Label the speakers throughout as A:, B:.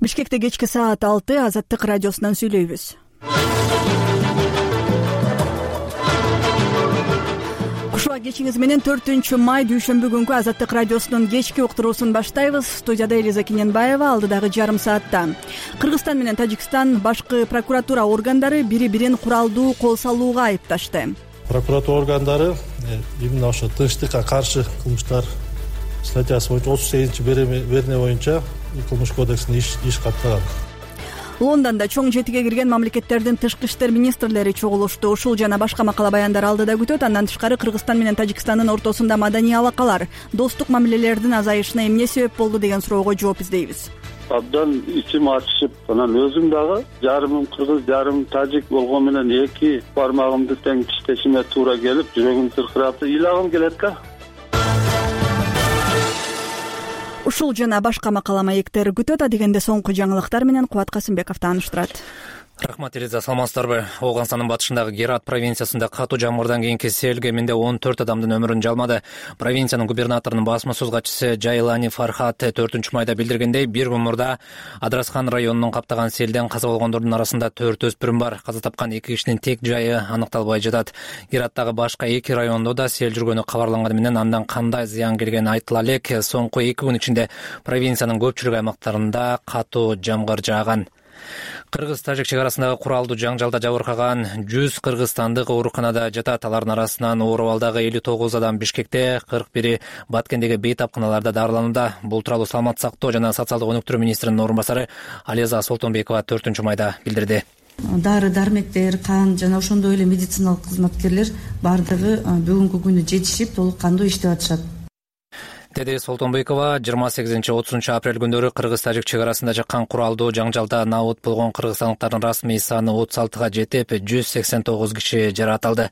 A: Бишкекте кечки саат 6 Азаттык радиосунан сүйлөйбүз. Кушуа кечиңиз менен 4-май дүйшөмбү күнкү Азаттык радиосунун кечки уктуруусун баштайбыз. Студияда Элиза Кененбаева, алдыдагы жарым саатта. Кыргызстан менен Тажикстан башкы прокуратура органдары бири-бирин куралдуу кол салууга айыпташты.
B: Прокуратура органдары именно ошо тынчтыкка каршы кылмыштар статьясы боюнча 38-берене боюнча кылмыш кодексинде иш каттаган.
A: Лондондо чоң жетиге кирген мамлекеттердин тышкы иштер министрлери чогулушту. Ушул жана башка макала баяндар алдыда күтөт. Андан тышкары Кыргызстан менен Тажикстандын ортосунда маданий алакалар, достук мамилелердин азайышына эмне себеп болду деген суроого жооп издейбиз.
C: Абдан ичим ачышып, анан өзүм дагы жарымым кыргыз, жарымым тажик болгон менен эки бармагымды тең тиштешиме туура келип, жүрөгүм тыркырап, ыйлагым келет да.
A: Ушул жана башка макала маектер күтөт. Адегенде соңку жаңылыктар менен Кубат Касымбеков тааныштырат.
D: Рахмат, Элиза, саламатсыздарбы? Ооганстандын батышындагы Герат провинциясында катуу жамгырдан кийинки сел кеминде 14 адамдын өмүрүн жалмады. Провинциянын губернаторунун басма сөз катчысы Жайлани Фархат 4-майда билдиргендей, бир күн мурда Адрасхан районунун каптаган селден каза болгондордун арасында 4 өспүрүм бар. Каза тапкан 2 кишинин тек жайы аныкталбай жатат. Гераттагы башка 2 райондо да сел жүргөнү кабарланганы менен андан кандай зыян келгени айтыла элек. Соңку 2 күн ичинде провинциянын көпчүлүк аймактарында катуу жамгыр жааган. Кыргыз-Тажик чек арасындагы куралдуу жаңжалда жабыркаган 100 кыргызстандык ооруканада жатат. Алардын арасынан ооруп алдагы 59 адам Бишкекте, 41 Баткендеги бейтапканаларда дарыланууда. Бул тууралуу саламаттык сактоо жана социалдык өнүктүрүү министринин орун басары Ализа Солтонбекова 4-майда билдирди.
E: Дары-дармектер, кан жана ошондой эле медициналык кызматкерлер бардыгы бүгүнкү күнү жетишип, толук кандуу иштеп атышат.
D: Деди Солтонбекова 28-30 апрель күндөрү Кыргыз-Тажик чек арасында жаккан куралдуу жаңжалда набыт болгон кыргызстандыктардын расмий саны 36-га жетип, 189 киши жаратылды.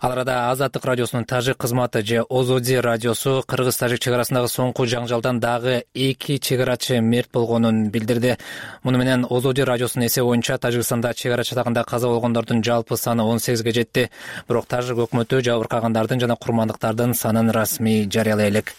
D: Ал арада Азаттык радиосунун тажик кызматы же Озоди радиосу Кыргыз-Тажик чек арасындагы соңку жаңжалдан дагы 2 чек арачы мерт болгонун билдирди. Муну менен Озоди радиосунун эсеби боюнча Тажикстанда чек ара чатагында каза болгондордун жалпы саны 18ге жетти. Бирок Тажик өкмөтү жабыркагандардын жана курмандыктардын санын расмий жарыялай элек.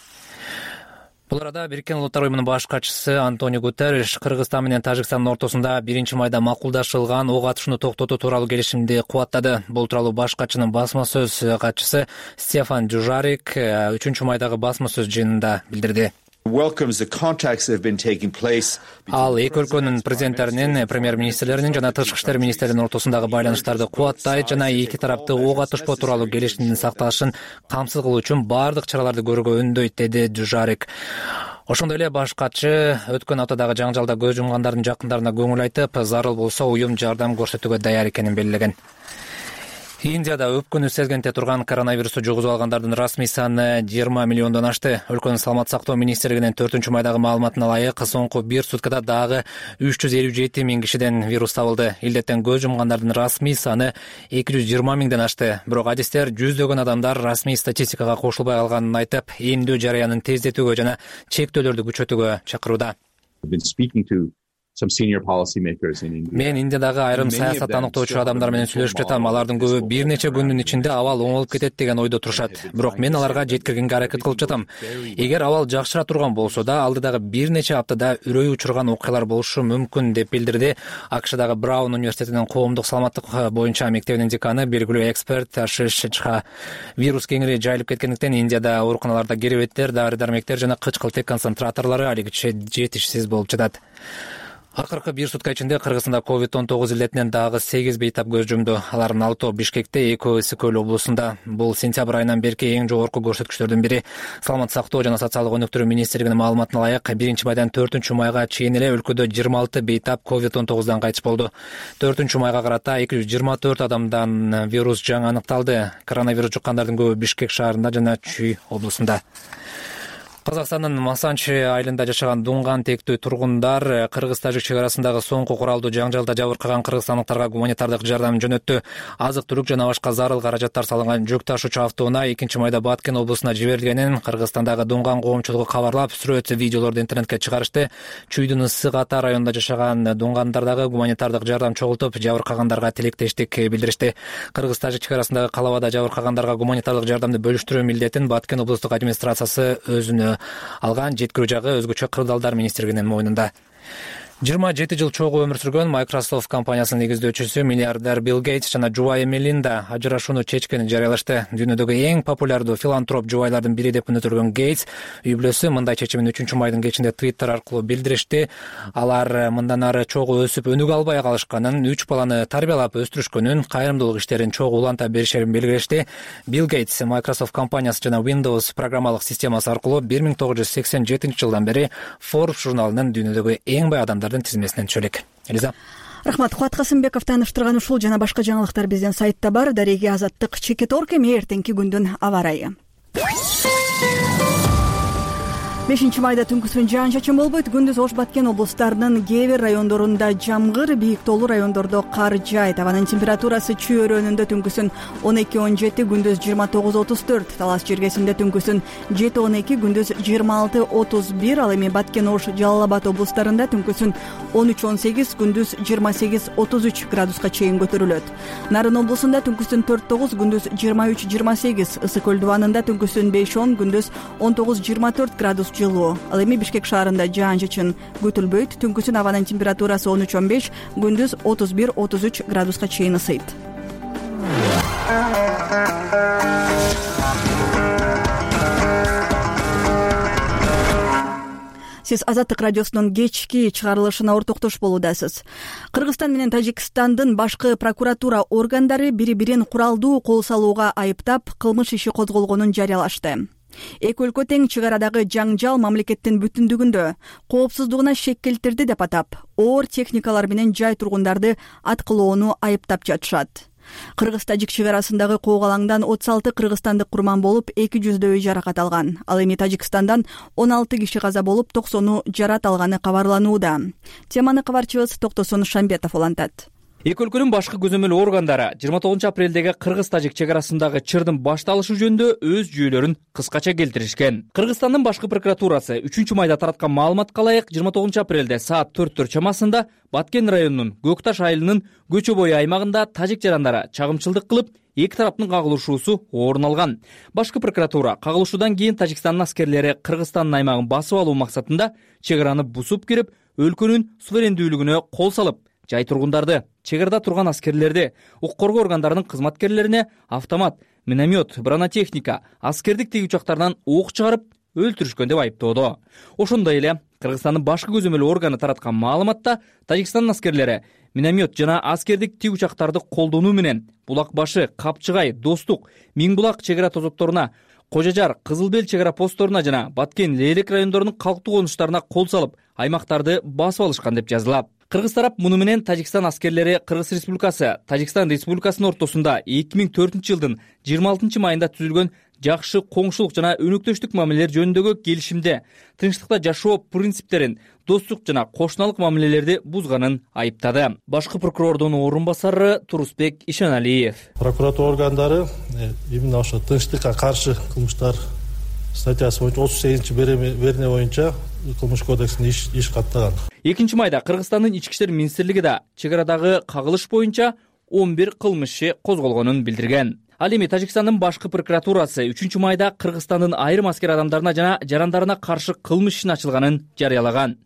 D: Бул арада Бириккен Улуттар уюмунун баш катчысы Антонио Гутерриш Кыргызстан менен Тажикстандын ортосунда 1-майда макулдашылган ок атышууну токтотуу тууралуу келишимди кубаттады. Бул тууралуу баш катчынын басма сөз катчысы Стефан Дюжарик 3-майдагы басма сөз жыйынында билдирди. Ал эки өлкөнүн президенттеринин, премьер-министрлеринин жана тышкы иштер министрлеринин ортосундагы байланыштарды кубаттайт жана эки тарапты ок атышпоо тууралуу келишимдин сакталышын камсыз кылуу үчүн бардык чараларды көрүүгө үндөйт, деди Дюжарик. Ошондой эле баш катчы өткөн аптадагы жаңжалда көз жумгандардын жакындарына көңүл айтып, зарыл болсо уюм жардам көрсөтүүгө даяр экенин белгилеген. Индияда өпкөнү сезгенте турган коронавирусту жугузуп алгандардын расмий саны 20 миллиондон ашты. Өлкөнүн саламаттык сактоо министрлигинин 4-майдагы маалыматына ылайык, соңку 1 суткада дагы 357 миң кишиден вирус табылды. Илдеттен көз жумгандардын расмий саны 220 миңден ашты. Бирок адистер жүздөгөн адамдар расмий статистикага кошулбай калганын айтып, эмдөө жарыянын тездетүүгө жана чектөөлөрдү күчөтүүгө чакырууда. Мен Индиядагы айрым саясат аныктоочу адамдар менен сүйлөшүп жатам. Алардын көбү бир нече күндүн ичинде абал оңолуп кетет деген ойдо турушат. Бирок мен аларга жеткиргенге аракет кылып жатам. Эгер абал жакшыра турган болсо да, алдыдагы бир нече аптада үрөй учурган окуялар болушу мүмкүн, деп билдирди АКШдагы Браун университетинин коомдук саламаттык боюнча мектебинин деканы, белгилүү эксперт Ашиш Чха. Вирус кеңири жайылып кеткендиктен Индияда ооруканаларда керебеттер, дары-дармектер жана кычкылтек концентраторлору алигиче жетишсиз болуп жатат. Акыркы 1 сутка ичинде Кыргызстанда COVID-19 илдетинен дагы 8 бейтап көз жумду. Алардын 6 Бишкекте, 2 Ысык-Көл облусунда. Бул сентябрь айынан берки эң жогорку көрсөткүчтөрдүн бири. Саламаттык сактоо жана социалдык өнүктүрүү министрлигинин маалыматына ылайык, 1-майдан 4-майга чейин эле өлкөдө 26 бейтап COVID-19дан кайтыш болду. 4-майга карата 224 адамдан вирус жаңы аныкталды. Коронавирус жуккандардын көбү Бишкек шаарында жана Чүй облусунда. Казакстандын Масанчи айылында жашаган Дунган тектүү тургундар Кыргыз-Тажик чек арасындагы соңку куралдуу жаңжалда жабыркаган кыргызстандыктарга гуманитардык жардам жөнөттү. Азык-түлүк жана башка зарыл каражаттар салынган жүк ташуучу автоунаа 2-майда Баткен облусуна жиберилгенин Кыргызстандагы Дунган коомчулугу кабарлап, сүрөт, видеолорду интернетке чыгарышты. Чүйдүн Ысык Ата районунда жашаган дуңгандар дагы гуманитардык жардам чогултуп, жабыркагандарга тилектештик билдиришти. Кыргыз-Тажик чек арасындагы калабада жабыркагандарга гуманитардык жардамды бөлүштүрүү милдетин Баткен облустук администрациясы өзүнө алган, жеткирүү жагы өзгөчө кырдаалдар министрлигинин мойнунда. 27 жыл чогуу өмүр сүргөн Microsoft компаниясынын негиздөөчүсү миллиардер Билл Гейтс жана жубайы Мелинда ажырашууну чечкенин жарыялашты. Дүйнөдөгү эң популярдуу филантроп жубайлардын бири деп өнүктүргөн Гейтс үй бүлөсү мындай чечимин 3-майдын кечинде Twitter аркылуу билдиришти. Алар мындан ары чогуу өсүп өнүгө албай калышканын, 3 баланы тарбиялап өстүрүшкөнүн, кайрымдуулук иштерин чогуу уланта беришерин белгилешти. Билл Гейтс Microsoft компаниясы жана Windows программалык системасы аркылуу 1987 жылдан бери Forbes журналынын дүйнөдөгү эң бай адамдар тизмесинен түшө элек. Элиза.
A: Рахмат. Кубат Касымбеков тааныштырган ушул жана башка жаңылыктар биздин сайтта бар. Дареги Азаттык Чекеторг эми эртеңки күндүн аба ырайы. 5-майда түнкүсүн жаан-чачын болбойт. Күндүз Ош Баткен облустарынын кээ бир райондорунда жамгыр, бийик тоолуу райондордо кар жаайт. Абанын температурасы Чүй өрөөнүндө түнкүсүн 12-17, күндүз 29-34, Талас жергесинде түнкүсүн 7-12, күндүз 26-31, ал эми Баткен, Ош, Жалал Абад облустарында түнкүсүн 13-18, күндүз 28-33 градуска чейин көтөрүлөт. Нарын облусунда түнкүсүн 4-9, күндүз 23-28, Ысык көл дубанында түнкүсүн 5-10, күндүз 19-24 градус жылуу. Ал эми Бишкек шаарында жаан-чачын күтүлбөйт. Түнкүсүн абанын температурасы 13-15, күндүз 31-33 градуска чейин ысыйт. Сиз Азаттык радиосунун кечки чыгарылышына ортоктош болуудасыз. Кыргызстан менен Тажикстандын башкы прокуратура органдары бири-бирин куралдуу кол салууга айыптап, кылмыш иши козголгонун жарыялашты. Эки өлкө тең чек арадагы жаңжал мамлекеттин бүтүндүгүндө коопсуздугуна шек келтирди деп атап, оор техникалар менен жай тургундарды аткылоону айыптап жатышат. Кыргыз-Тажик чек арасындагы коогалаңдан 36 кыргызстандык курман болуп, 200дөй жаракат алган. Ал эми Тажикстандан 16 киши каза болуп, 90 жарат алганы кабарланууда. Теманы кабарчыбыз Токтосун Шамбетов улантат.
F: Эки өлкөнүн башкы көзөмөл органдары 29 апрелдеги Кыргыз-Тажик чек арасындагы чырдын башталышы жөнүндө өз жүйөлөрүн кыскача келтиришкен. Кыргызстандын башкы прокуратурасы 3-майда тараткан маалыматка ылайык 29 апрелде саат 4 чамасында Баткен районунун Көкташ айылынын көчө бою аймагында тажик жарандары чагымчылдык кылып, эки тараптын кагылышуусу орун алган. Башкы прокуратура кагылышуудан кийин Тажикстандын аскерлери Кыргызстандын аймагын басып алуу максатында чек араны бусуп кирип, өлкөнүн суверендүүлүгүнө кол салып, жай тургундарды, чек арада турган аскерлерди, укук коргоо органдарынын кызматкерлерине автомат, миномет, бронетехника, аскердик тиги учактарынан ок чыгарып өлтүрүшкөн деп айыптоодо. Ошондой эле Кыргызстандын башкы көзөмөл органы тараткан маалыматта Тажикстандын аскерлери миномет жана аскердик тиги учактарды колдонуу менен Булак башы, Капчыгай, Достук, Миң булак чек ара тозотторуна, Кожажар, Кызыл Бел чек ара постторуна жана Баткен, Лейлек райондорунун калктуу конуштарына кол салып, аймактарды басып алышкан деп жазылат. Кыргыз тарап муну менен Тажикстан аскерлери Кыргыз Республикасы, Тажикстан Республикасынын ортосунда 2004 жылдын 26 майында түзүлгөн жакшы коңшулук жана өнөктөштүк мамилелер жөнүндөгү келишимде тынчтыкта жашоо принциптерин, достук жана кошуналык мамилелерди бузганын айыптады. Башкы прокурордун орун басары Турусбек Ишаналиев.
B: Прокуратура органдары именно ошо тынчтыкка каршы кылмыштар статьясы боюнча 38 берене боюнча кылмыш кодексине иш каттаган.
F: 2-майда Кыргызстандын ички иштер министрлиги да чек арадагы кагылыш боюнча 11 кылмыш иши козголгонун билдирген. Ал эми Тажикстандын башкы прокуратурасы 3-майда Кыргызстандын айрым аскер адамдарына жана жарандарына каршы кылмыш ишин ачылганын жарыялаган.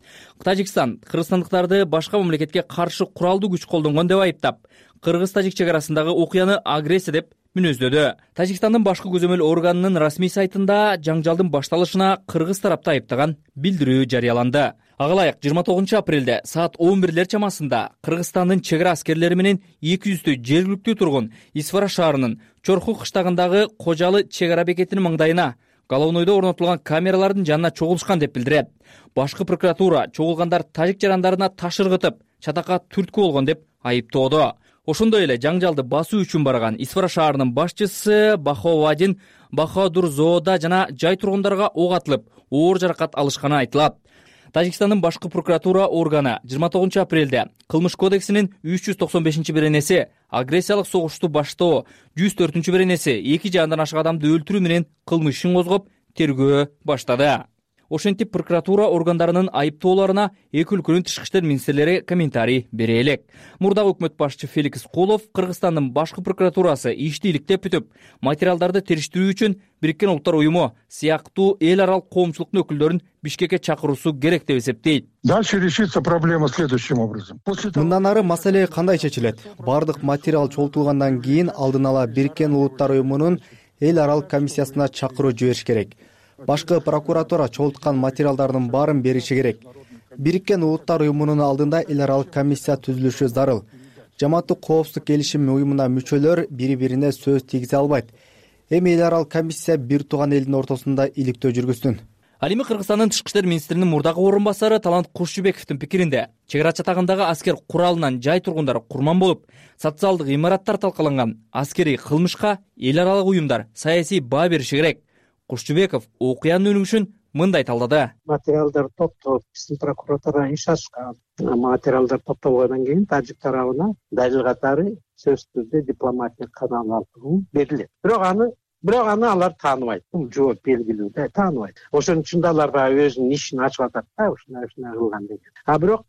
F: Тажикстан кыргызстандыктарды башка мамлекетке каршы куралдуу күч колдонгон деп айыптап, Кыргыз-Тажик чек арасындагы окуяны агрессия деп мүнөздөөдө. Тажикстандын башкы көзөмөл органынын расмий сайтында жаңжалдын башталышына Кыргыз тарапты айыптаган билдирүү жарыяланды. Ага ылайык 29 апрелде саат 11 чамасында Кыргызстандын чек ара аскерлери менен 200дөй жергиликтүү тургун Исфара шаарынын Чорху кыштагындагы Кожалы чек ара бекетинин маңдайына головнойдо орнотулган камералардын жанына чогулушкан деп билдирет. Башкы прокуратура чогулгандар тажик жарандарына таш ыргытып, чатакка түрткү болгон деп айыптоодо. Ошондой эле жаңжалды басуу үчүн барган Исфара шаарынын башчысы Баховадин Бахадурзоода жана жай тургундарга ок атылып, оор жаракат алышканы айтылат. Тажикстандын башкы прокуратура органы 29 апрелде кылмыш кодексинин 395 беренеси агрессиялык согушту баштоо, 104 беренеси эки же андан ашык адамды өлтүрүү менен кылмыш ишин козгоп, тергөө баштады. ошентип прокуратура органдарынын айыптоолоруна эки өлкөнүн тышкы иштер министрлери комментарий бере элек. Мурдагы өкмөт башчы Феликс Кулов Кыргызстандын башкы прокуратурасы ишти иликтеп бүтүп, материалдарды териштирүү үчүн Бириккен Улуттар уюму сыяктуу эл аралык коомчулуктун өкүлдөрүн Бишкекке чакыруусу керек деп эсептейт.
G: Дальше решится проблема следующим образом.
H: Мындан ары маселе кандай чечилет? Бардык материал чогултулгандан кийин алдын ала Бириккен Улуттар уюмунун эл аралык комиссиясына чакыруу жибериш керек. Башкы прокуратура чогулткан материалдардын баарын бериши керек. Бириккен Улуттар уюмунун алдында эл аралык комиссия түзүлүшү зарыл. Жамааттык коопсуздук келишим уюмуна мүчөлөр бири-бирине сөз тийгизе албайт. Эми эл аралык комиссия бир тууган элдин ортосунда иликтөө жүргүзсүн.
F: Ал эми Кыргызстандын тышкы иштер министринин мурдагы орун басары Талант Кушчубековдун пикиринде чек ара чатагындагы аскер куралынан жай тургундары курман болуп, социалдык имараттар талкаланган аскерий кылмышка эл аралык уюмдар саясий баа бериши керек. Кушчубеков окуянын өнүгүшүн мындай талдады.
I: Материалдар топтоп, биздин прокуратура иш ачкан. Материалдар топтолгондон кийин тажик тарабына далил катары сөзсүз түрдө дипломатиялык канал аркылуу берилет. Бирок аны алар тааныбайт. Бул жооп белгилүү да, тааныбайт. Ошон үчүн да алар баягы өзүнүн ишин ачып атат да, ушундай кылган деген. Бирок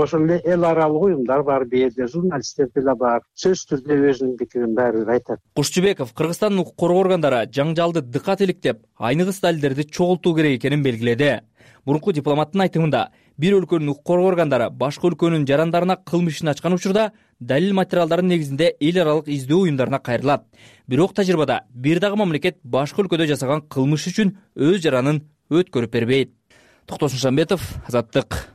I: ошол эле эл аралык уюмдар бар, бээде журналисттер деле бар. Сөзсүз түрдө өзүнүн пикирин баары бир айтат.
F: Кушчубеков Кыргызстандын укук коргоо органдары жаңжалды дыкат иликтеп, айныгыс далилдерди чогултуу керек экенин белгиледи. Мурунку дипломаттын айтымында, бир өлкөнүн укук коргоо органдары башка өлкөнүн жарандарына кылмыш ишин ачкан учурда далил материалдардын негизинде эл аралык издөө уюмдарына кайрылат. Бирок тажрыйбада бир дагы мамлекет башка өлкөдө жасаган кылмыш үчүн өз жаранын өткөрүп бербейт. Токтосун Шамбетов, Азаттык.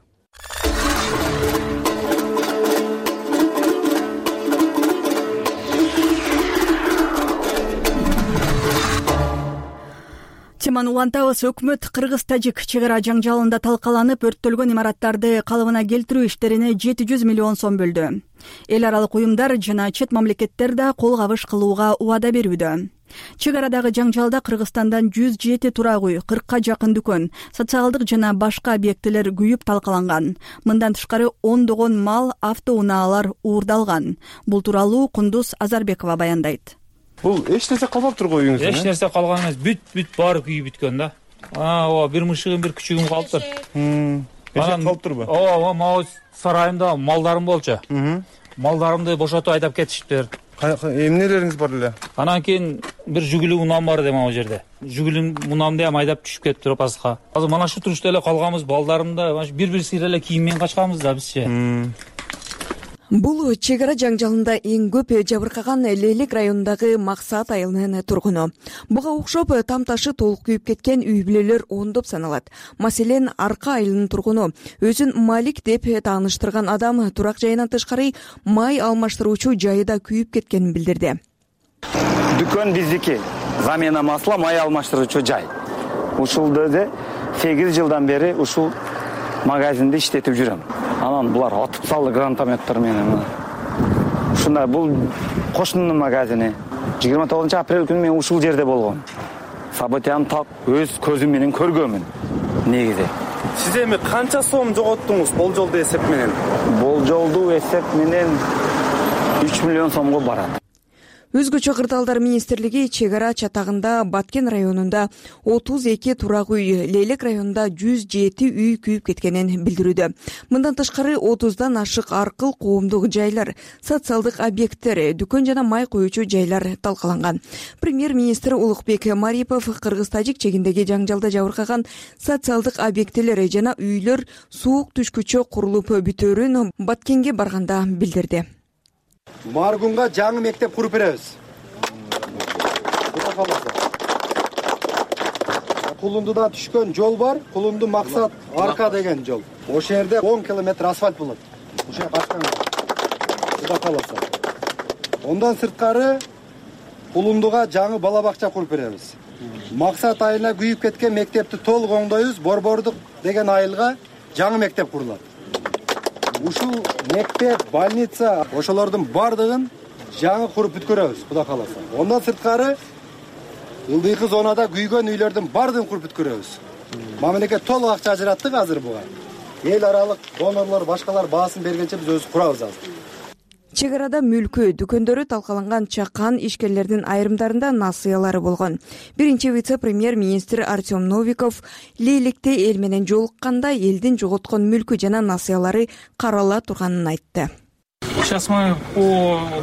A: Теманы улантабыз. Өкмөт кыргыз-тажик чек ара жаңжалында талкаланып, өрттөлгөн имараттарды калыбына келтирүү иштерине 700 миллион сом бөлдү. Эл аралык уюмдар жана чет мамлекеттер да кол кабыш кылууга убада берүүдө. Чек арадагы жаңжалда Кыргызстандан 107 турак үй, 40ка жакын дүкөн, социалдык жана башка объектилер күйүп талкаланган. Мындан тышкары ондогон мал, автоунаалар уурдалган. Бул тууралуу Кундуз Азарбекова баяндайт.
J: Бул эч нерсе калбаптыр го үйүңүздө?
K: Эч нерсе калган эмес, бүт баары күйүп бүткөн да. Ооба, бир мышыгым, бир күчүгүм калыптыр.
J: Эшек калыптырбы?
K: Ооба, могу сарайымда малдарым болчу. Малдарымды бошотуп айдап кетишиптир.
J: Эмнелериңиз бар эле?
K: Анан кийин бир жүгүлүү унам бар эди могу жерде. Жүгүлүү унамды ham айдап түшүп кетиптир опасызга. Азыр мана шу турушта эле калганбыз, балдарымда бир сыйра эле кийим менен качканбыз да бизче.
L: Бул чек ара жаңжалында эң көп жабыркаган Лейлек районундагы Максат айылынын тургуну. Буга окшоп там-ташы толук күйүп кеткен үй бүлөлөр ондоп саналат. Маселен, Арка айылынын тургуну өзүн Малик деп тааныштырган адам турак жайынан тышкары май алмаштыруучу жайы да күйүп кеткенин билдирди.
M: Дүкөн биздики, замена масла май алмаштыруучу жай. Ушулда 8 жылдан бери ушул магазинди иштетип жүрөм. Анан булар атып салды гранатометтер менен. Ушундай бул кошунун магазини. 29-апрель күнү мен ушул жерде болгом. Событияны так өз көзүм менен көргөмүн. Негизи.
J: Сиз эми канча сом жоготтуңуз болжолду эсеп менен?
M: Болжолду эсеп менен 3 миллион сомго барат.
L: Өзгөчө кырдаалдар министрлиги чек ара чатагында Баткен районунда 32 турак үй, Лейлек районунда 107 үй күйүп кеткенин билдирүүдө. Мындан тышкары 30дан ашык аркыл коомдук жайлар, социалдык объекттер, дүкөн жана май коюучу жайлар талкаланган. Премьер-министр Улукбек Марипов кыргыз-тажик чегиндеги жаңжалда жабыркаган социалдык объектилер жана үйлөр суук түшкүчө курулуп бүтөөрүн Баткенге барганда билдирди.
N: Маргунга жаңы мектеп куруп беребиз. Кулундуда түшкөн жол бар, Кулунду Максат Арка деген жол. Ошол жерде 10 километр асфальт болот. Ошо качкан. Куда каласа. Ондан сырткары Кулундуга жаңы бала бакча куруп беребиз. Максат айылына күйүп кеткен мектепти толук оңдойбуз. Борбордук деген айылга жаңы мектеп курулат. Ушул мектеп, больница, ошолордун бардыгын жаңы куруп бүткөрөбүз, Куда каласа. Ондан сырткары ылдыйкы зонада күйгөн үйлөрдүн бардыгын куруп бүткөрөбүз. Мамлекет толук акча ажыраттык азыр буга. Эл аралык донорлор, башкалар баасын бергенче биз өзүбүз курабыз азыр.
L: Чек арада мүлкү, дүкөндөрү талкаланган чакан ишкерлердин айрымдарында насыялары болгон. Биринчи вице-премьер-министр Артем Новиков Лейликте эл менен жолукканда элдин жоготкон мүлкү жана насыялары карала турганын айтты.
K: Сейчас мы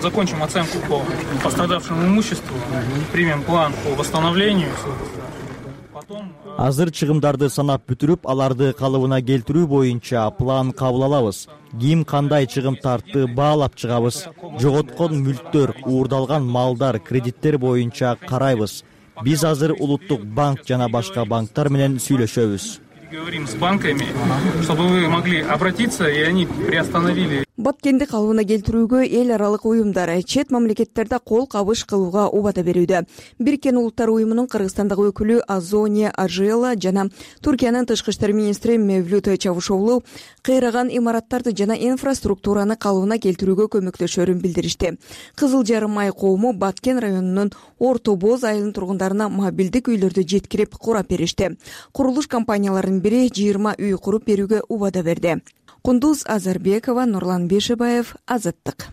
K: закончим оценку по пострадавшему имуществу, примем план по восстановлению.
O: Азыр чыгымдарды санап бүтүрүп, аларды калыбына келтирүү боюнча план кабыл алабыз. Ким кандай чыгым тартты баалап чыгабыз. Жоготкон мүлктөр, уурдалган малдар, кредиттер боюнча карайбыз. Биз азыр улуттук банк жана башка банктар менен сүйлөшөбүз.
K: Говорим с банками, чтобы вы могли обратиться, и они приостановили.
L: Баткенди калыбына келтирүүгө эл аралык уюмдар чет мамлекеттерде кол кабыш кылууга убада берүүдө. Бириккен Улуттар уюмунун Кыргызстандагы өкүлү Азония Ажела жана Туркиянын тышкы иштер министри Мевлют Чавушоглу кыйраган имараттарды жана инфраструктураны калыбына келтирүүгө көмөктөшөрүн билдиришти. Кызыл Жарым ай коому Баткен районунун Орто Боз айылынын тургундарына мобилдик үйлөрдү жеткирип курап беришти. Курулуш компанияларынын бири 20 үй куруп берүүгө убада берди. Кундуз Азарбекова, Нурлан Бешебаев, Азаттык.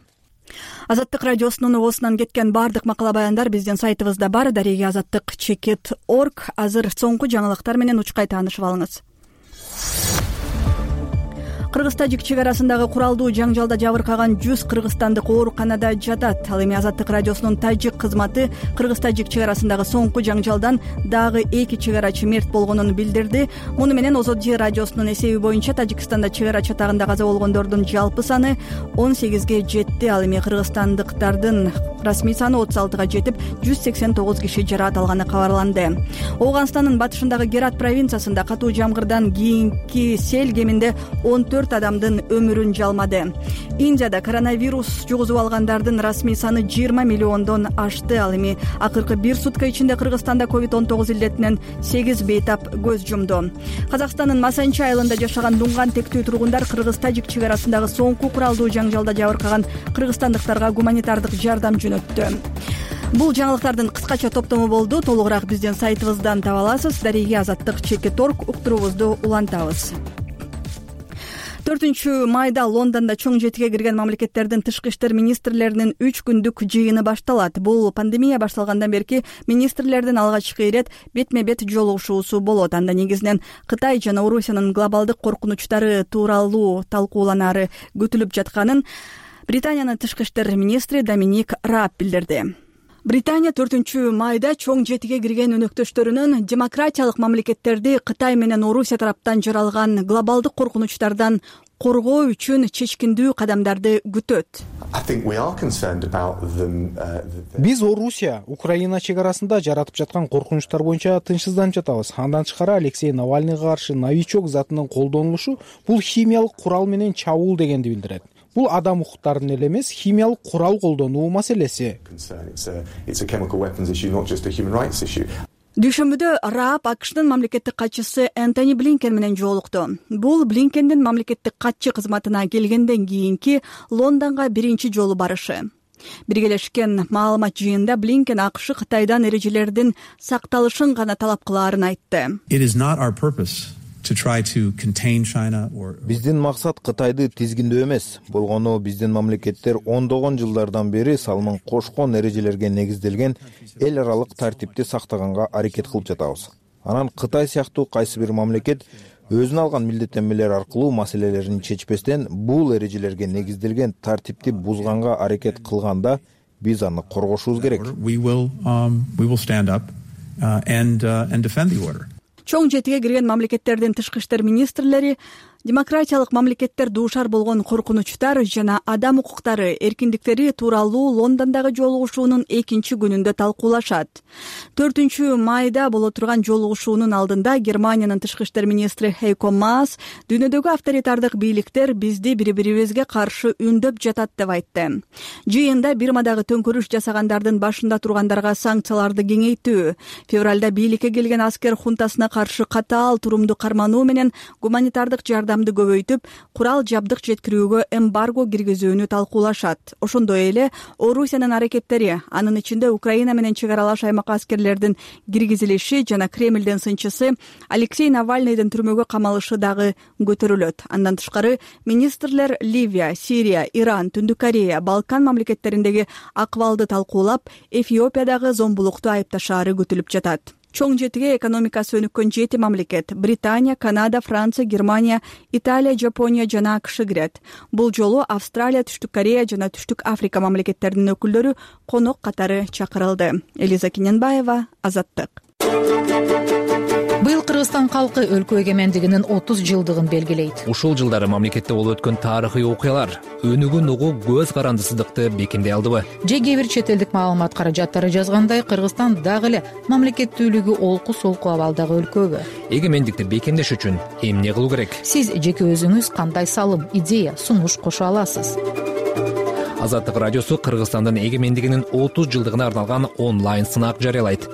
A: Азаттык радиосунун оосунан кеткен бардык макала баяндар биздин сайтыбызда бар. Дареги azattik.org. Азыр соңку жаңылыктар менен учкай таанышып алыңыз. Кыргыз-тажик чек арасындагы куралдуу жаңжалда жабыркаган 100 кыргызстандык ооруканада жатат. Ал эми Азаттык радиосунун тажик кызматы Кыргыз-тажик чек арасындагы соңку жаңжалдан дагы 2 чек арачы мерт болгонун билдирди. Муну менен ОЗОЖ радиосунун эсеби боюнча Тажикстанда чек ара чатагында каза болгондордун жалпы саны 18ге жетти. Ал эми кыргызстандыктардын расмий саны 36га жетип, 189 киши жаракат алганы кабарланды. Ооганстандын батышындагы Герат провинциясында катуу жамгырдан кийинки сел кеминде 14 адамдын өмүрүн жалмады. Индияда коронавирус жугузуп алгандардын расмий саны 20 миллиондон ашты. Ал эми акыркы бир сутка ичинде Кыргызстанда COVID-19 илдетинен 8 бейтап көз жумду. Казакстандын Масанчи айылында жашаган дунган тектүү тургундар Кыргыз-тажик чек арасындагы соңку куралдуу жаңжалда жабыркаган кыргызстандыктарга гуманитардык жардам жөнөттү. Бул жаңылыктардын кыскача топтому болду. Толугураак биздин сайтыбыздан таба аласыз. Дареги azattik.org уктуруубузду улантабыз. 4 майда Лондондо чоң жетиге кирген мамлекеттердин тышкы иштер министрлеринин 3 күндүк жыйыны башталат. Бул пандемия башталгандан берки министрлердин алгачкы ирет бетме-бет жолугушуусу болот. Анда негизинен Кытай жана Орусиянын глобалдык коркунучтары тууралуу талкууланары күтүлүп жатканын Британиянын тышкы иштер министри Доминик Раб билдирди. Британия 4 майда чоң жетиге кирген өнөктөштөрүнүн демократиялык мамлекеттерди Кытай менен Орусия тараптан жаралган глобалдык коркунучтардан коргоо үчүн чечкиндүү кадамдарды күтөт.
P: Биз Орусия, Украина чек арасында жаратып жаткан коркунучтар боюнча тынчсызданып жатабыз. Андан тышкары Алексей Навальныйга каршы новичок затынын колдонулушу бул химиялык курал менен чабуул дегенди билдирет. Бул адам укуктарын эле эмес, химиялык курал колдонуу маселеси.
A: Дүйшөмбүдө Раб АКШнын мамлекеттик катчысы Энтони Блинкен менен жолукту. Бул Блинкендин мамлекеттик катчы кызматына келгенден кийинки Лондонго биринчи жолу барышы. Биргелешкен маалымат жыйында Блинкен АКШ Кытайдан эрежелердин сакталышын гана талап кылаарын айтты.
Q: Биздин максат Кытайды тизгиндөө эмес, болгону биздин мамлекеттер ондогон жылдардан бери салмын кошкон эрежелерге негизделген эл аралык тартипти сактаганга аракет кылып жатабыз. Анан Кытай сыяктуу кайсы бир мамлекет өзүнө алган милдеттенмелер аркылуу маселелерин чечпестен бул эрежелерге негизделген тартипти бузганга аракет кылганда биз аны коргошубуз керек.
A: Чоң жетиге кирген мамлекеттердин тышкы иштер министрлери демократиялык мамлекеттер дуушар болгон коркунучтар жана адам укуктары эркиндиктери тууралуу Лондондогу жолугушуунун 2 күнүндө талкуулашат. 4 майда боло турган жолугушуунун алдында Германиянын тышкы иштер министри Хейко Маас дүйнөдөгү авторитардык бийликтер бизди бири-бирибизге каршы үндөп жатат деп айтты. Жыйында Бирмадагы төңкөрүш жасагандардын башында тургандарга санкцияларды кеңейтүү, февралда бийликке келген аскер хунтасына каршы катаал турумду кармануу менен гуманитардык жардам жардамды көбөйтүп, курал жабдык жеткирүүгө эмбарго киргизүүнү талкуулашат. Ошондой эле Орусиянын аракеттери, анын ичинде Украина менен чек аралаш аймакка аскерлердин киргизилиши жана Кремлдин сынчысы Алексей Навальныйдын түрмөгө камалышы дагы көтөрүлөт. Андан тышкары министрлер Ливия, Сирия, Иран, Түндүк Корея, Балкан мамлекеттериндеги акыбалды талкуулап, Эфиопиядагы зомбулукту айыпташаары күтүлүп жатат. Чоң жетиге экономикасы өнүккөн 7 мамлекет — Британия, Канада, Франция, Германия, Италия, Жапония жана АКШ кирет. Бул жолу Австралия, Түштүк Корея жана Түштүк Африка мамлекеттеринин өкүлдөрү конок катары чакырылды. Элиза Киненбаева, Азаттык.
R: Быйыл Кыргызстан калкы өлкө эгемендигинин 30 жылдыгын белгилейт.
D: Ушул жылдары мамлекетте болуп өткөн тарыхый окуялар өнүгүүн угуу көз карандысыздыкты бекемдей алдыбы?
R: Же кээ бир чет элдик маалымат каражаттары жазгандай, Кыргызстан дагы эле мамлекеттүүлүгү олку-солку абалдагы өлкөбү?
D: Эгемендикти бекемдеш үчүн эмне кылуу керек?
R: Сиз жеке өзүңүз кандай салым, идея, сунуш кошо аласыз?
D: Азаттык радиосу Кыргызстандын эгемендигинин 30 жылдыгына арналган онлайн сынак жарыялайт.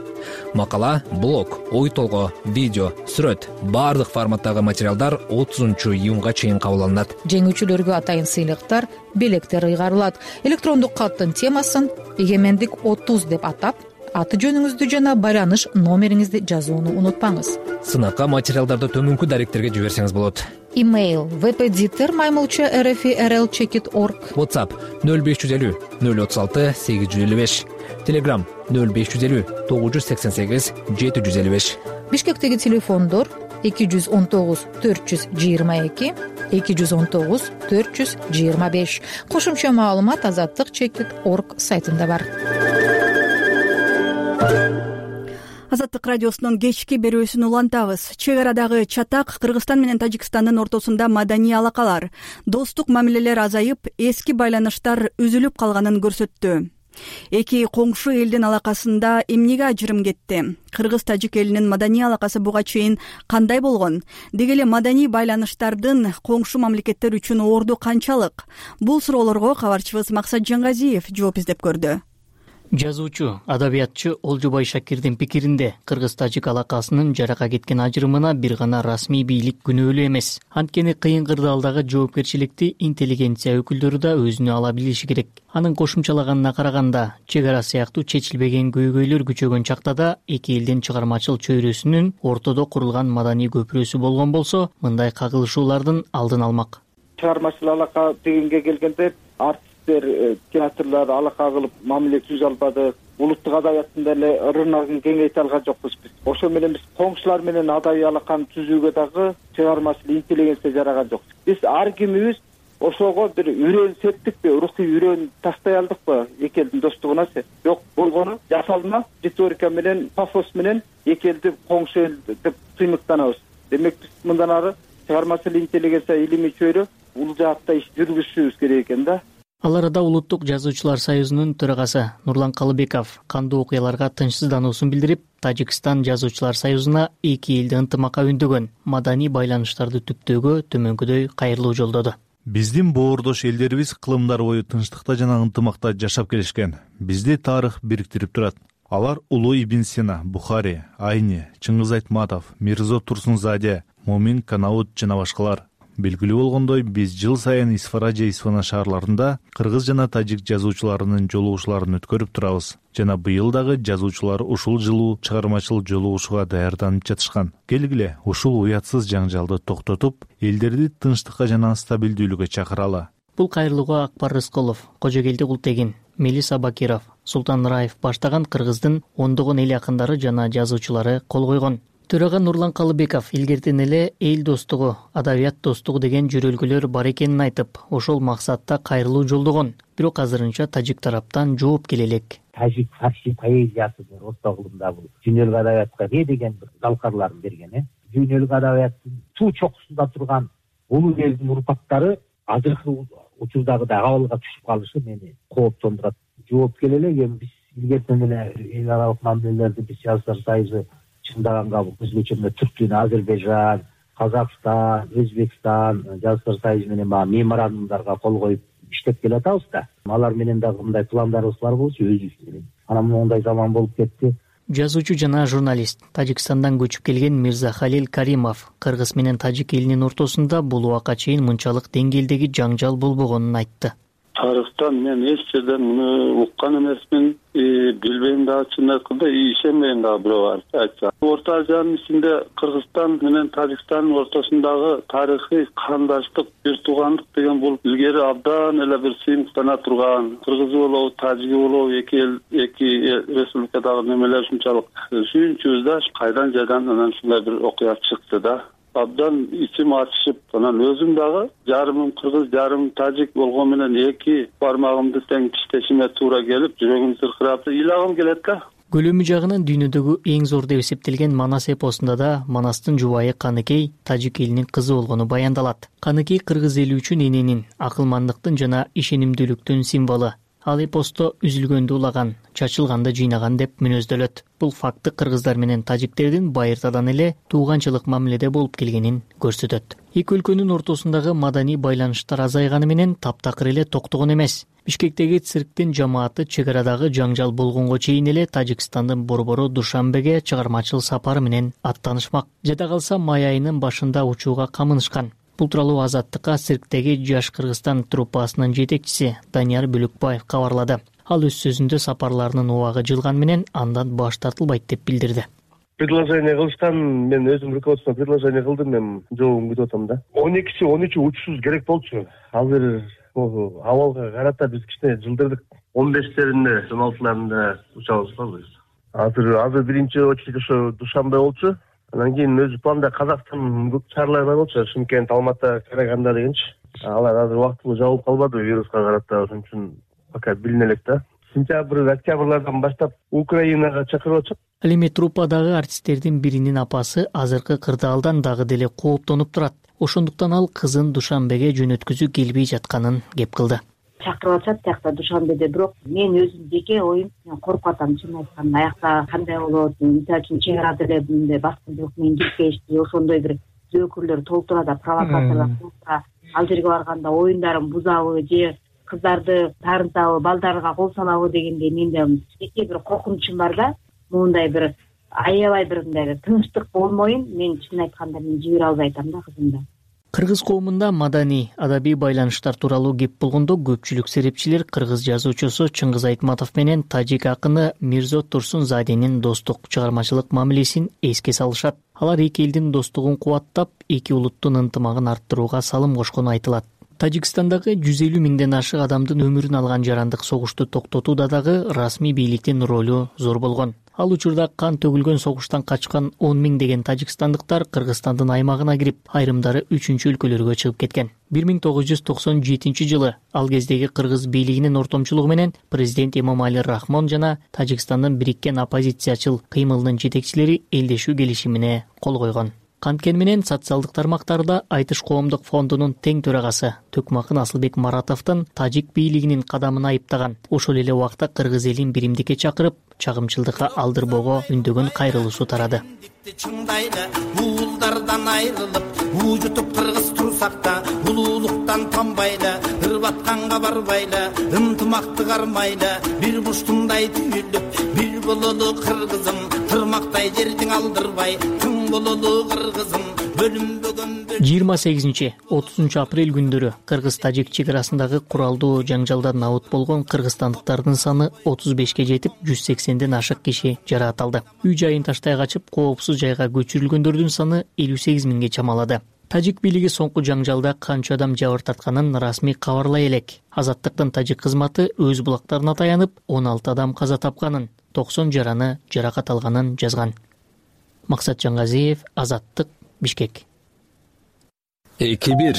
D: Макала, блог, ой толгоо, видео, сүрөт, бардык форматтагы материалдар 30-июнга чейин кабыл алынат.
R: Жеңүүчүлөргө атайын сыйлыктар, белектер ыйгарылат. Электрондук каттын темасын «Эгемендик 30» деп атап, аты жөнүңүздү жана байланыш номериңизди жазууну унутпаңыз.
D: Сынакка материалдарды төмөнкү даректерге жиберсеңиз болот.
R: Имейл vpditer@rlcheckit.org.
D: WhatsApp 0550 036 855. Telegram 0550 988 755.
R: Бишкектеги телефондор 219 422 219 425. Кошумча маалымат azattikchekit.org сайтында бар.
A: Азаттык радиосунун кечки берүүсүн улантабыз. Чек арадагы чатак Кыргызстан менен Тажикстандын ортосунда маданий алакалар, достук мамилелер азайып, эски байланыштар үзүлүп калганын көрсөттү. Эки коңшу элдин алакасында эмнеге ажырым кетти? Кыргыз-тажик элинин маданий алакасы буга чейин кандай болгон? Деги эле маданий байланыштардын коңшу мамлекеттер үчүн орду канчалык? Бул суроолорго кабарчыбыз Максат Жаңгазиев жооп издеп көрдү.
S: Жазуучу, адабиятчы Олжобай Шакирдин пикиринде Кыргыз-тажик алакасынын жарака кеткен ажырымына бир гана расмий бийлик күнөөлүү эмес. Анткени кыйын кырдаалдагы жоопкерчиликти интеллигенция өкүлдөрү да өзүнө ала билиши керек. Анын кошумчалаганына караганда, чек ара сыяктуу чечилбеген көйгөйлөр күчөгөн чакта да эки элдин чыгармачыл чөйрөсүнүн ортодо курулган маданий көпүрөсү болгон болсо, мындай кагылышуулардын алдын алмак.
T: Чыгармачыл алака дегенге келгенде театрлар алака кылып мамиле түзө албады. Улуттук адабияттын деле рыногун кеңейте алган жокпуз биз. Ошо менен биз коңшулар менен адабий алаканы түзүүгө дагы чыгармачыл интеллигенция жараган жок. Биз ар кимибиз ошого бир үрөөн септикпи, рухий үрөөн таштай алдыкпы эки элдин достугуна? Жок, болгону жасалма риторика менен, пафос менен эки элди коңшу эл деп сыймыктанабыз. Демек биз мындан ары чыгармачыл интеллигенция илимий чөйрө бул жаатта иш жүргүзүшүбүз керек экен да.
S: Ал арада Улуттук жазуучулар союзунун төрагасы Нурлан Калыбеков кандуу окуяларга тынчсыздануусун билдирип, Тажикстан жазуучулар союзуна эки элди ынтымакка үндөгөн маданий байланыштарды түптөөгө төмөнкүдөй кайрылуу жолдоду.
U: Биздин боордош элдерибиз кылымдар бою тынчтыкта жана ынтымакта жашап келишкен. Бизди тарых бириктирип турат. Алар Улуу Ибн Сина, Бухари, Айни, Чыңгыз Айтматов, Мирзо Турсунзаде, Момин Канаут жана башкалар. Белгилүү болгондой, биз жыл сайын Исфара же Исфана шаарларында кыргыз жана тажик жазуучуларынын жолугушууларын өткөрүп турабыз. Жана быйыл дагы жазуучулар ушул жылуу чыгармачыл жолугушууга даярданып жатышкан. Келгиле, ушул уятсыз жаңжалды токтотуп, элдерди тынчтыкка жана стабилдүүлүккө чакыралы.
S: Бул кайрылууга Акбар Рыскулов, Кожогелди Култегин, Мелис Абакиров, Султан Раев баштаган Кыргыздын ондогон эл акындары жана жазуучулары кол койгон. Төрага Нурлан Калыбеков илгертен эле эл достугу, адабият достугу деген жөрөлгөлөр бар экенин айтып, ошол максатта кайрылуу жолдогон. Бирок азырынча тажик тараптан жооп келе элек.
V: Тажик фарси поэзиясы орто кылымда бул дүйнөлүк адабиятка деген бир залкарларын берген. Дүйнөлүк адабияттын суу чокусунда турган улуу элдин урпактары азыркы учурдагы абалга түшүп калышы мени кооптондурат. Жооп келе элек, эми биз илгертен эле эл аралык мамилелерди биз жазуучулар союзу чындаганга өзгөчө Түркия, Азербайжан, Казакстан, Өзбекстан жазуучулар союзу менен меморандумдарга кол коюп иштеп келатабыз да. Алар менен дагы мындай пландарыбыз бар болчу өзүбүз менен. Анан мондай заман болуп кетти.
S: жазуучу жана журналист Тажикстандан көчүп келген Мирзахалил Каримов кыргыз менен тажик элинин ортосунда бул убакка чейин мынчалык деңгээлдеги жаңжал болбогонун айтты.
C: Тарыхтан мен эч жерден муну уккан эмесмин, билбейм дагы, чын айтканда ишенбейм дагы бирөө айтса. Орто Азиянын ичинде Кыргызстан менен Тажикстандын ортосундагы тарыхый кандаштык, бир туугандык деген бул илгери абдан эле бир сыймыктана турган. Кыргызы болобу, тажиги болобу, эки республикадагы немелер ушунчалык сүйүнчүбүз да, кайдан жайдан анан ушундай бир окуя чыкты да. Абдан ичим ачышып, анан өзүм дагы жарымым кыргыз, жарымым тажик болгон менен эки бармагымды тең тиштешиме туура келип, жүрөгүм сыркырап, ыйлагым келет да.
S: Көлөмү жагынан дүйнөдөгү эң зор деп эсептелген Манас эпосунда да Манастын жубайы Каныкей тажик элинин кызы болгону баяндалат. Каныкей кыргыз эли үчүн эненин, акылмандыктын жана ишенимдүүлүктүн символу. Ал эпосто үзүлгөндү улаган, чачылганды жыйнаган деп мүнөздөлөт. Бул факты кыргыздар менен тажиктердин байыртадан эле тууганчылык мамиледе болуп келгенин көрсөтөт. Эки өлкөнүн ортосундагы маданий байланыштар азайганы менен таптакыр эле токтогон эмес. Бишкектеги цирктин жамааты чек арадагы жаңжал болгонго чейин эле Тажикстандын борбору Душанбеге чыгармачыл сапары менен аттанышмак. Жада калса май айынын башында учууга камынышкан. Бул тууралуу Азаттыкка цирктеги Жаш Кыргызстан труппасынын жетекчиси Данияр Бөлөкбаев кабарлады. Ал өз сөзүндө сапарларынын убагы жылган менен андан баш тартылбайт деп билдирди.
E: Предложение кылыштан мен өзүм руководствоно предложение кылдым, мен жообун күтүп атам да. 12-13 учуусуз керек болчу. Азыр абалга карата биз кичине жылдырдык. 15-леринде, 16-ларында учабыз го. Азыр биринчи очередь ошо Душанбе болчу. Анан кийин өзү планда Казакстан шаарлары болчу, Шымкент, Алматы, Караганда дегенчи. Алар азыр убактылуу жабылып калбады вируска карата, ошон үчүн пока билине элек да. Сентябрь, октябрлардан баштап Украинага чакырып атышат.
S: Ал эми труппадагы артисттердин биринин апасы азыркы кырдаалдан дагы деле кооптонуп турат. Ошондуктан ал кызын Душанбеге жөнөткүзүү келбей жатканын кеп кылды.
W: Чакырып атышат тиякта Душанбеде, бирок мен өзүм жеке оюм коркуп атам, чын айтканда. Аякта кандай болот, мисалы үчүн чек арада эле мындай баскынчылык менен кирип келишти, ошондой бир зөөкүрлөр толтура да, провокаторлор толтура, ал жерге барганда оюндарын бузабы же кыздарды таарынтабы, балдарга кол салабы дегендей менде жеке бир коркунучум бар да. Мындай бир аябай бир мындай тынчтык болмоюн, мен чын айтканда мен жибере албай атам да кызымды.
S: Кыргыз коомунда маданий, адабий байланыштар тууралуу кеп болгондо көпчүлүк серепчилер кыргыз жазуучусу Чыңгыз Айтматов менен тажик акыны Мирзо Турсунзаденин достук чыгармачылык мамилесин эске салышат. Алар эки элдин достугун кубаттап, эки улуттун ынтымагын арттырууга салым кошкону айтылат. Тажикстандагы 150 миңден ашык адамдын өмүрүн алган жарандык согушту токтотууда дагы расмий бийликтин ролу зор болгон. Ал учурда кан төгүлгөн согуштан качкан 10 миңдеген тажикстандыктар Кыргызстандын аймагына кирип, айрымдары 3-чү өлкөлөргө чыгып кеткен. 1997 жылы ал кездеги кыргыз бийлигинин ортомчулугу менен президент Эмомали Рахмон жана Тажикстандын бириккен оппозициячыл кыймылынын жетекчилери элдешүү келишимине кол койгон. Канткени менен социалдык тармактарда Айтыш коомдук фондунун тең төрагасы Төкмакын Асылбек Маратовдун тажик бийлигинин кадамын айыптаган. Ошол эле убакта кыргыз элин биримдикке чакырып, чагымчылдыкка алдырбоого үндөгөн кайрылуусу тарады.
X: Уулдардан айрылып, уужутуп кыргыз турсак да, улуулуктан танбайлы, ырбатканга барбайлы, ынтымакты кармайлы, бир буштундай түйүлүп, бир бололу кыргызым, тырмактай жердиң алдырбай, тың бололу кыргызым, бөлүнбөгөн.
S: 28-30 апрель күндөрү кыргыз-тажик чек арасындагы куралдуу жаңжалдан абут болгон кыргызстандыктардын саны 35ке жетип, 180ден ашык киши жараат алды. Үй жайын таштай качып, коопсуз жайга көчүрүлгөндөрдүн саны 58 миңге чамалады. Тажик бийлиги соңку жаңжалда канча адам жабыр тартканын расмий кабарлай элек. Азаттыктын тажик кызматы өз булактарына таянып, 16 адам каза тапканын, 90 жараны жаракат алганын жазган. Максат Жаңгазиев, Азаттык, Бишкек.
D: 2-1.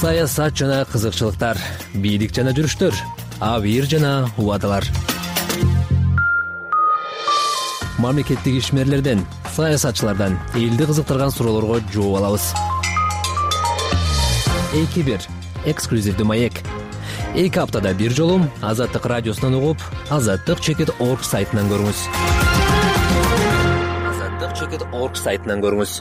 D: Саясат жана кызыкчылыктар, бийлик жана жүрүштөр, абийир жана убадалар. Мамлекеттик ишмерлерден, саясатчылардан элди кызыктырган суроолорго жооп алабыз. 2-1. Эксклюзивдүү маек. 2 аптада бир жолу Азаттык радиосунан угуп, azattik.org сайтынан көрүңүз. azattik.org сайтынан көрүңүз.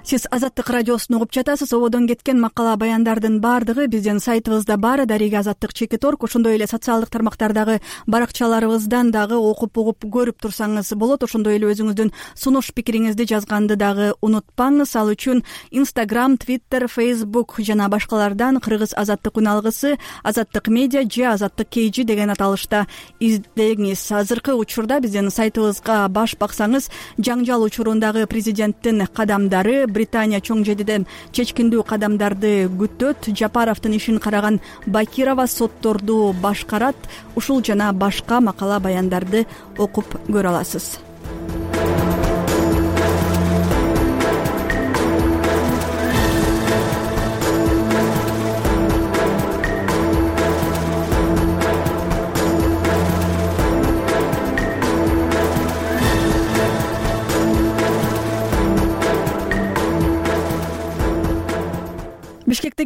A: Сиз Азаттык радиосун угуп жатасыз. Ободон кеткен макала баяндардын баардыгы биздин сайтыбызда бар. Дарига Азаттык.org. Ошондой эле социалдык тармактардагы баракчаларыбыздан дагы окуп угуп көрүп турсаңыз болот. Ошондой эле өзүңүздүн сунуш пикириңизди жазганды дагы унутпаңыз. Ал үчүн Instagram, Twitter, Facebook жана башкалардан Кыргыз Азаттык үн алгысы, Азаттык медиа же Азаттык KG деген аталышта издеңиз. Азыркы учурда биздин сайтыбызга баш баксаңыз, жаңжал учурундагы президенттин кадамдары, Британия чоң жетиден чечкиндүү кадамдарды күтөт, Жапаровдун ишин караган Бакирова сотторду башкарат, ушул жана башка макала баяндарды окуп көрө аласыз.